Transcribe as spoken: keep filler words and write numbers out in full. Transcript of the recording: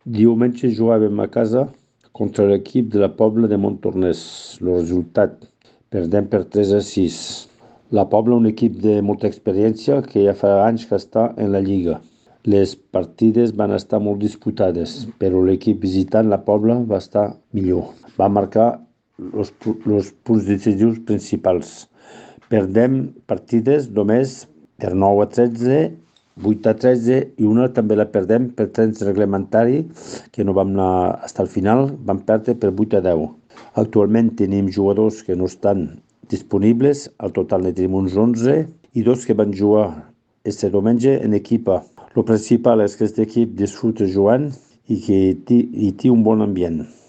Diumenge jugàvem a casa contra l'equip de la Pobla de Montornès. El resultat, perdem per tres a sis. La Pobla, un equip de molta experiència que ja fa anys que està en la Lliga. Les partides van estar molt disputades, però l'equip visitant, la Pobla, va estar millor. Va marcar els punts decisius principals. Perdem partides només per nou a tretze, vuit a tretze i una també la perdem per temps reglamentari, que no vam anar fins al final, vam perdre per vuit a deu. Actualment tenim jugadors que no estan disponibles, al total ne tenim uns onze i dos que van jugar este diumenge en equipa. El principal és que aquest equip disfruta jugant i que hi té un bon ambient.